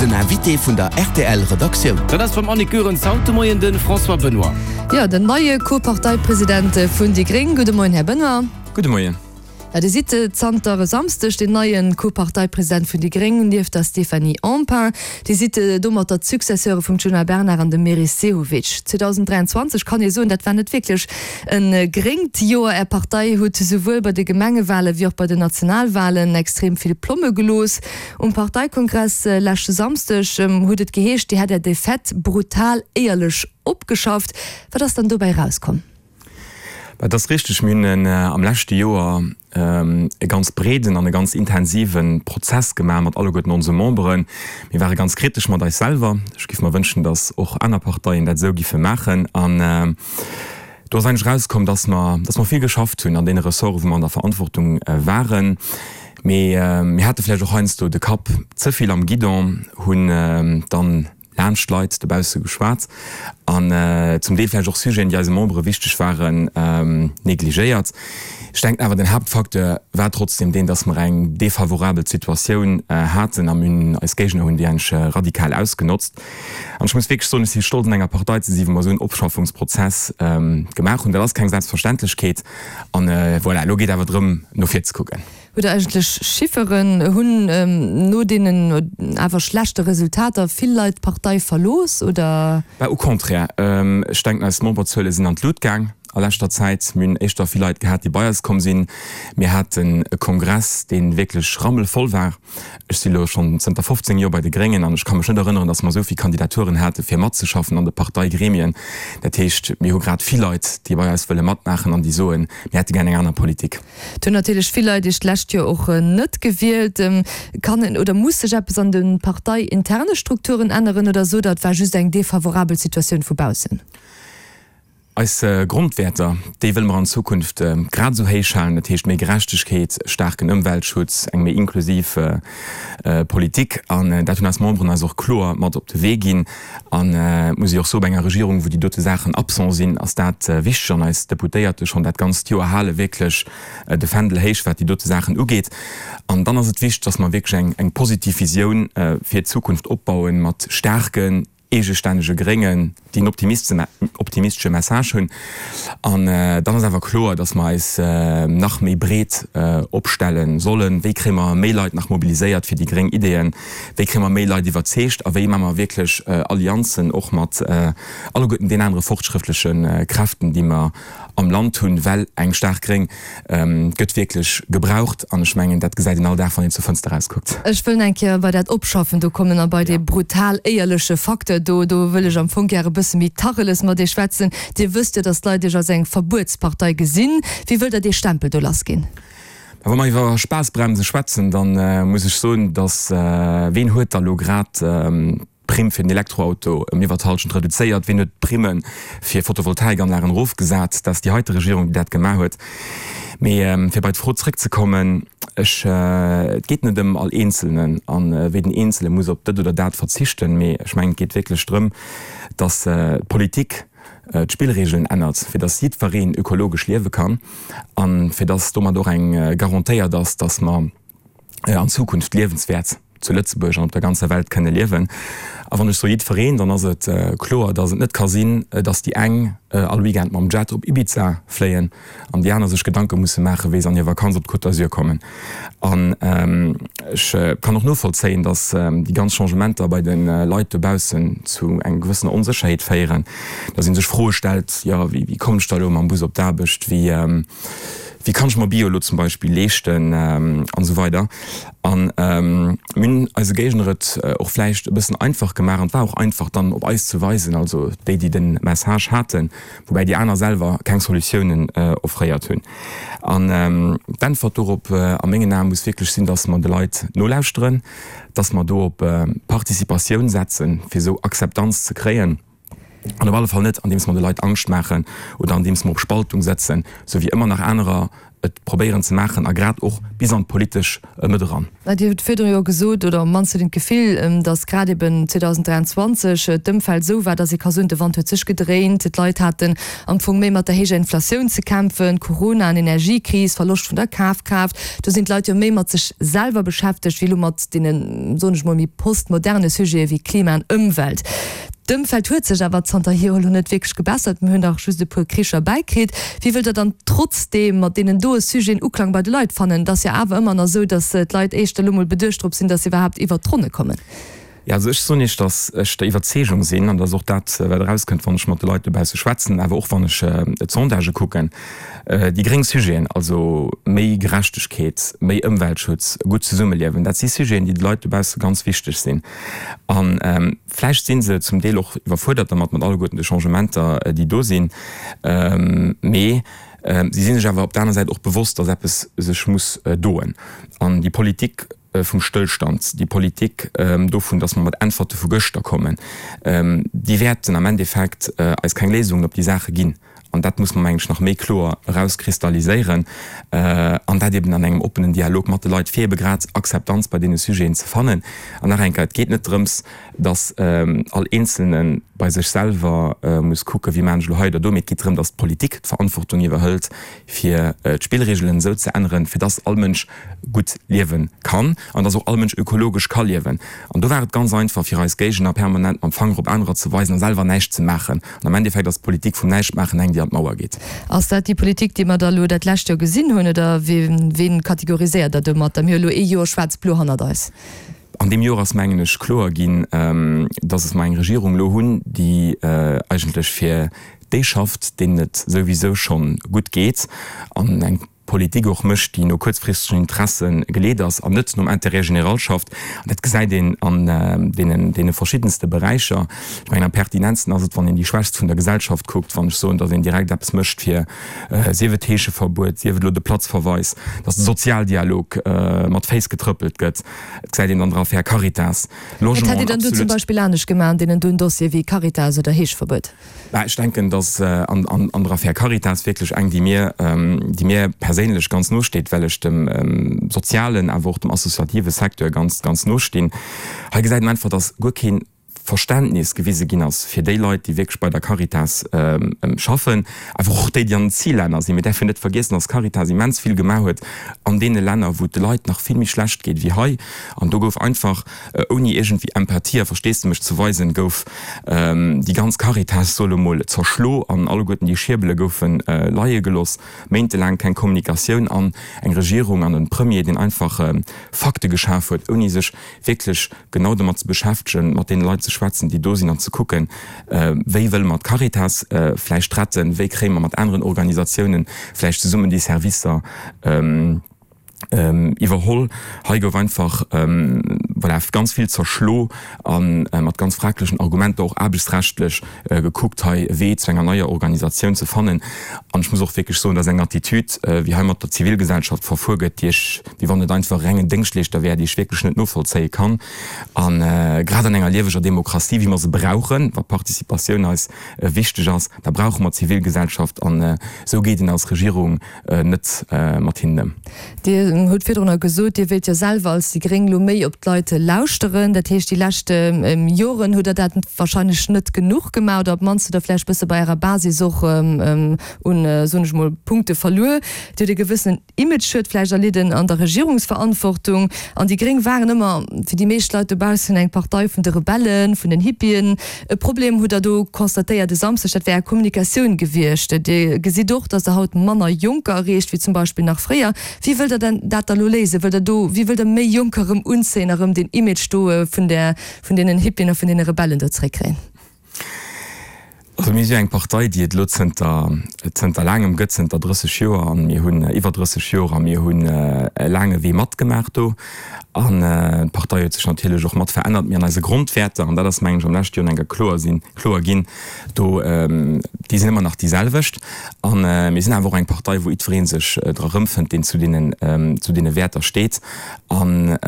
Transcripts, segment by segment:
Den Invité vun der rtl Redaktioun. Dat ass beim Annick Goerens haut de Moien de François Benoy. Jo, den neie Co-Parteipresident vun déi gréng. Gudde Moien, Här Benoy. Gudde Moien. Jo, Dir sidd zanter e Samsdeg den neie Co-Parteipresident vun déi gréng, nieft der Stéphanie Empain. Dir sidd domatter d'Successeure vum Djuna Bernard an dem Meris Sehovic. 2023 kann ee soen, dat war net wierklech E gréngt Joer. Är Partei huet souwuel bei de Gemengewale wéi och bei den Nationalwalen extrem vill Plomme gelooss. Um Parteikongress leschte Samsdeg huet et geheescht, Dir hätt Är Defaite brutal éierlech opgeschafft. Wat ass dann dobäi erauskomm? Et ass richteg, mir hunn am leschte Joer e ganz breeden an e ganz intensive Prozess gemaach mat alleguerten onse Memberen. Mir ware ganz kritesch mat eis selwer. Ech géif mer wënschen, datt och aner Parteien dat esou giffe maachen. An do ass eigentlech erauskomm, datt mer, datt mer vill geschafft hunn an deene Ressorten, wou mer an der Verantwortung waren. Mee mir hate vläicht och heiansdo de Kapp ze vill am Guidon, hunn dann laanscht d'Leit dobausse geschwat an zum Deel vläicht och Sujeten, déi eise Membere wichteg waren, negligéiert. Ech denken awer, den Haaptfacteur war trotzdem deen, dass mer eng defavorabel Situatioun haten a mir hunn eis Géigner hunn déi eigentlech radikal ausgenotzt. An ech muss wierklech soen, ech si stolz an enger Partei ze si wou mer esou en Opschaffungsprozess gemaach hunn. Dat ass keng Selbstverständlechkeet an voilà, elo geet awer drëm no vir ze kucken. Hutt Der eigentlech Chifferen? Hunn no deenen awer schlechte Resultater vill Leit d'Partei verlooss, oder? Bah, au contraire. Ech denken, eis Memberzuele sinn an d'Lut gaang a leschter Zäit. Mir hunn éischter vill Leit gehat, déi bei eis komm sinn. Mir haten e Kongress, dee wierklech rammelvoll war. Ech si lo schonn zënter 15 Joer bei de Gréngen an ech ka mech net erënneren, datt mer esou vill Kandidaturen hate fir matzeschaffen an de Parteigremien. Dat heescht, mir hu grad vill Leit, déi bei eis wëlle matmaachen an déi soen, mir hätte gär eng aner Politik. Et hunn natierlech vill Leit Iech d'lescht Joer och net gewielt. Kann en oder muss sech eppes an de parteiinterne Strukturen änneren oder sot Der, et war just eng defavorabel Situatioun vu baussen? Eis Grondwäerter, déi wëlle mer an Zukunft grad esou héich halen, dat heescht méi Gerechtegkeet, staarken Ëmweltschutz, eng méi inklusiv Politik. An dat hunn eis Memberen eis och kloer mat op de Wee ginn. An et muss ee och soen, bei enger Regierung, wou déi dote Saachen absent sinn, ass dat wichteg. An eis Deputéierte schonn dat ganzt Joer hale wierklech de Fändel héich, wat déi dote Saachen ugeet. An dann ass et wichteg, dass mer wierklech eng positiv Visioun fir d'Zukunft opbauen, mat staarken, eegestännege Gréngen, déi en optimistesche Message hunn. An dann ass awer kloer, datt mer eis nach méi breet opstelle sollen. Wéi kréie mer méi Leit nach mobiliséiert fir déi gréng Ideeën? Wéi kréie mer méi Leit iwwerzeegt? A wéi maache mer wierklech Allianzen och mat alleguerten den anere fortschrëttleche Kräften, déi mer am Land hunn, well eng staark Gréng gëtt wierklech gebraucht an ech mengen, dat gesäit een all Dag, wann een zur Fënster erauskuckt. Ech wëll eng Kéier bei dat Opschaffen do kommen a bei dee brutal éierleche Facteur do. Do wëll ech am Fong gär e bësse méi Tacheles mat Iech schwätzen. Dir wësst jo, datt d'Leit Iech als eng Verbuetspartei gesinn. Wéi wëllt Der dee Stempel do lassginn? Wa mer iwwer Spaassbremse schwätzen, da muss ech soen, datt, ween huet da lo grad d'Primm fir den Elektroauto ëm iwwer d'Hallschent reduzéiert? Ween huet d'Primme fir Photovoltaikanlagen erofgesat? Dat ass déi heite Regierung, déi dat gemaach huet. Mee fir bei d'Fro zrëckzekommen, ech, et geet net ëm all Eenzelnen a wéi den Eenzele muss op dët oder dat verzichten, mee ech mengen, et geet wierklech drëm, dass d'Politik d'Spillregeln ännert, fir dass jiddwereen ökologesch liewe kann a fir dass domat och eng garantéiert ass, dass mer, an Zukunft liewenswäert zu Lëtzebuerg an op der ganzer Welt kënne liewen. A wann ech soe jiddwereen, dann ass et kloer, datt et net ka sinn, datt déi eng all Weekend mam Jet op Ibiza fléien an déi aner sech Gedanke musse maachen, wéi se an hir Vakanz op d'Côte d'Azur kommen. An ech kann och novollzéien, datt déi ganz Changementer bei de Leit dobaussen zu enger gewëssener Onsécherheet féieren, datt ee sech Froe stellt, jo wéi kommen ech da elo mam Bus op d'Aarbecht, wéi Wéi kann ech mer Bio elo zum Beispill leeschten an esou weider. An mir hunn eise Géigner et och vläicht e bëssen einfach gemaach an et war och einfach dann op eis ze weisen, also déi, déi de Message haten, woubäi déi aner selwer keng Solutiounen offréiert hunn. An d'Äntwert dorop a mengen Ae muss wierklech sinn, dass mer de Leit nolauschteren, dass mer do op Participatioun setzen, fir esou Akzeptanz ze kréien. An op alle Fall net, andeems mer de Leit Angscht maachen oder andeems mer op Spaltung setzen, sou wéi ëmmer nach anerer et probéieren ze maachen a grad och bis an d'politesch Mëtt eran. Mä Dir hutt virdru jo gesot, oder op d'mannst huet een d'Gefill, datt grad eben 2023 d'Ëmfeld esou war, datt ee ka soen, de Wand huet sech gedréint, d'Leit haten am Fong méi mat der héijer Inflatioun ze kämpfen, Corona an Energiekris, Verloscht vun der Kafkraaft. Do sinn d'Leit jo méi mat sech selwer beschäftegt wéi elo mat deenen, soen ech mol, méi postmoderne Sujete wéi Klima an Ëmwelt. D'Ëmfeld huet sech awer zanterhier elo net wierklech gebessert, mir hunn nach just e puer Kricher bäikritt. Wéi wëllt Der dann trotzdeem mat deenen doe Sujeten Uklang bei de Leit fannen? Et ass jo awer ëmmer nach esou, datt d'Leit éischter elo mol beduecht drop sinn, datt se iwwerhaapt iwwert d'Ronne kommen. Jo, also ech soen Iech, datt ech der Iwwerzeegung sinn, an dat ass och dat, wat erauskënnt, wann ech mat de Leit dobausse schwätzen, awer och wann ech d'Sondagë kucken, déi gréng Sujeten, also méi Gerechtegkeet, méi Ëmweltschutz, e gutt Zesummeliewen, dat si Sujeten, déi de Leit dobausse ganz wichteg sinn. A vläicht si se zum Deel och iwwerfuerdert dermat, mat alleguerten de Changementer, déi do sinn. Mee si si sech awer op der aner Säit och bewosst, datt eppes sech muss doen. An déi Politik vum Stëllstand, déi Politik dovun, datt mer mat Äntwerte vu gëschter kommen, déi wäerten am Endeffekt eis keng Léisungen op déi Saache ginn. An dat muss mer, mengen ech, nach méi kloer erauskristalliséieren, an dat eben an engem oppenen Dialog mat de Leit, fir ebe grad Akzeptanz bei deene Sujeten ze fannen. An nach eng Kéier, Et geet net drëms, dass all Eenzelne bei sech selwer muss kucken, wéi maachen ech elo hei oder do, mee et geet drëm, dass d'Politik d'Verantwortung iwwerhëlt, fir d'Spillregelen esou ze änneren, fir dass all Mënsch gutt liewe kann an dass och all Mënsch ökologesch ka liewen. An do war et ganz einfach fir eis Géigner permanent mam Fanger op anerer ze weisen a selwer näischt ze maachen. An am Endeffekt ass d'Politik vum Näischtmaachen eng, déi an d'Mauer geet. Ass dat déi Politik, déi mer da elo dat lescht Joer gesinn hunn, oder ween kategoriséiert Der domatter? Mir hu elo ee Joer schwaarz-blo hannert eis. An deem Joer ass, mengen ech, kloer ginn, dass mer eng Regierung elo hunn, déi eigentlech fir déi schafft, deenen et souwisou schonn gutt geet an eng Politik och mécht, déi no kuerzfristegen Interesse geleet ass an net nom Intérêt général schafft. An dat gesäit een an deenen, deene verschiddenste Beräicher. Ech mengen, am pertinentsten ass et, wann een déi Schwächst vun der Gesellschaft kuckt, wann ech soen, datt een direkt eppes mécht fir, sief et d'Heescheverbuet, sief et elo de Platzverweis, datt de Sozialdialog mat Féiss getrëppelt gëtt. Et gesäit een an der Affär Caritas, Wat hätt Dir Logement, dann do zum absolut. Beispill anescht gemaach an deenen doen Dossiere wéi Caritas oder Heescheverbuet? Mä ech denken, datt an der Affär Caritas wierklech eng, déi mir, déi mir perséinlech ganz no steet, well ech dem sozialen, awer och dem associative Secteur ganz, ganz no stinn. Hei gesäit een einfach, datt guer kee Verständnis gewise ginn ass fir déi Leit, déi wierklech bei der Caritas schaffen, awer och déi, déi an den Zillänner sinn. Mir däerfen net vergiessen, datt d'Caritas immens vill gemaach huet an deene Länner, wou et de Leit nach vill méi schlecht geet wéi hei. An do gouf einfach, ouni iergendwéi Empathie a Versteesdemech ze weisen, gouf déi ganz Caritas, soe lo mol, zerschlo an alleguerten déi Schierbele goufe leie geloss. Méintelaang keng Kommunikatioun an eng Regierung an e Premier, deen einfach Fakte geschaf huet, ouni sech wierklech genau domat ze beschäftegen, mat deene Leit ze schwätzen, déi do sinn, an ze kucken, wéi wëlle mer d'Caritas vläicht retten, wéi kréie mer mat aneren Organisatiounen vläicht zesummen déi Servicer iwwerholl. Hei gouf einfach, voilà, ganz vill zerschlo a mat ganz fraglechen Argumenter, och aarbechtsrechtlech gekuckt, hei e Wee zu enger neier Organisatioun ze fannen. An ech muss och wierklech soen, dat ass eng Attitude, wéi hei mat der Zivilgesellschaft verfuer gëtt, déi ech, wéi wann et einfach e rengen Déngschtleeschter wär, déi ech wierklech net novollzéie kann. A grad an enger lieweger Demokratie, wéi mer se brauchen, wa Participatioun eis wichteg ass, da brauche mer d'Zivilgesellschaft. An esou geet een als Regierung net mat hinnen ëm. Dir hutt virdrunner gesot, Dir wéilt jo selwer als déi Gréng elo méi op d'Leit lauschteren. Dat heescht, déi lescht Joren hutt Der dat wahrscheinlech net genuch gemaach oder op d'mannst hutt Der vläicht bësse bei Ärer Basis och un, soen ech mol, Punkte verluer. Dir hutt e gewëssenen Imageschued vläicht erlidden an der Regierungsverantwortung. An déi Gréng waren ëmmer fir déi meescht Leit dobaussen eng Partei vun de Rebellen, vun den Hippien. E Problem hutt Der do constatéiert e Samschdeg, dat wär Är Kommunikatioun gewiescht. Dir gesitt och, datt Der haut manner Jonker erreecht wéi zum Beispill nach fréier. Wéi wëllt Der denn dat da lo léisen? Wëllt Der do, wéi wëllt Der méi Jonker erëm unzéien a rëm deen Image do vun där, vun deenen Hippien a vun deene Rebellen do zeréckkréien? Also mir si jo eng Partei, déi et elo zënter, zënter laangem gëtt, zënter 30 Joer, an mir hunn iwwer 30 Joer, a mir hunn e laange Wee matgemaach do. An d'Partei huet sech natierlech och mat verännert. Mee an eise Grondwäerter, an dat ass mengen ech am leschte Joer nach eng Kéier kloer sinn, kloer ginn, do, déi sinn ëmmer nach déi selwecht. A mir sinn awer och eng Partei, wou jiddweree sech dra rëmfënnt, deen zu deenen, zu deene Wäerter steet. An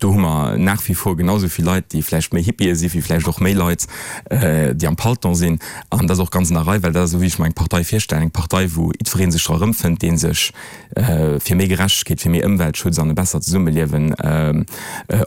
do hu mer nach wie vor genau esou vill Leit, déi vläicht méi Hippië si wéi vläicht och méi Leit, déi am Palton sinn. An dat ass och ganz an der Rei, well dat ass esou, wéi ech mer eng Partei virstellen, eng Partei, wou jiddweree sech dra erëmfënnt, dee sech fir méi Gerechtegkeet, fir méi Ëmweltschutz an e bessert Zesummeliewen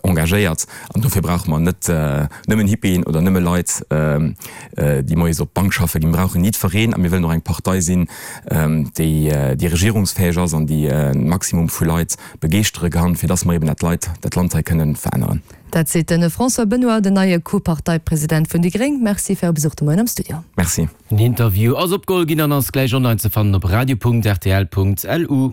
engagéiert. An dofir brauche mer net nëmmen Hippien oder nëmme Leit, déi moies op d'Bank schaffe ginn. Mir brauchen jiddwereen a mir wëllen och eng Partei sinn, déi regierungsfäeg ass an déi e Maximum vu Leit begeeschtere kann, fir dass mer eben dat Leit, dat Land hei kënnen veränneren. Dat seet de François Benoy, den neie Co-Parteipresident vun déi gréng. Merci fir Äre Besuch de Moien am Studio. Merci. Den Interview ass opgeholl ginn an ass gläich online ze fannen op radio.rtl.lu.